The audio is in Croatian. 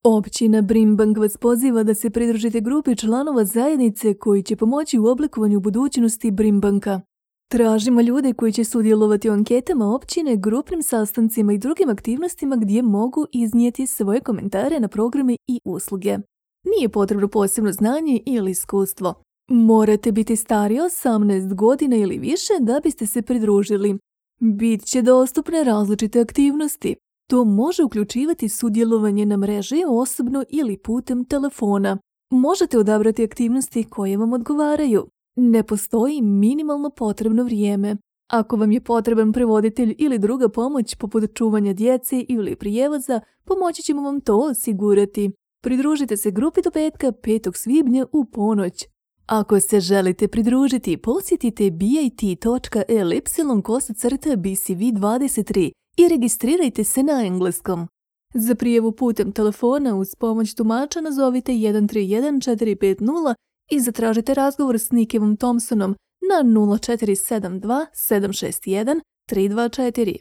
Općina Brimbank vas poziva da se pridružite grupi članova zajednice koji će pomoći u oblikovanju budućnosti Brimbanka. Tražimo ljude koji će sudjelovati u anketama općine, grupnim sastancima i drugim aktivnostima gdje mogu iznijeti svoje komentare na programe i usluge. Nije potrebno posebno znanje ili iskustvo. Morate biti stariji 18 godina ili više da biste se pridružili. Bit će dostupne različite aktivnosti. To može uključivati sudjelovanje na mreži osobno ili putem telefona. Možete odabrati aktivnosti koje vam odgovaraju. Ne postoji minimalno potrebno vrijeme. Ako vam je potreban prevoditelj ili druga pomoć poput čuvanja djece ili prijevoza, pomoći ćemo vam to osigurati. Pridružite se grupi do petka 5. svibnja u ponoć. Ako se želite pridružiti, posjetite bit.ly/bcv23 i registrirajte se na engleskom. Za prijavu putem telefona uz pomoć tumača nazovite 131 450 i zatražite razgovor s Nickevom Thompsonom na 0472 761 324.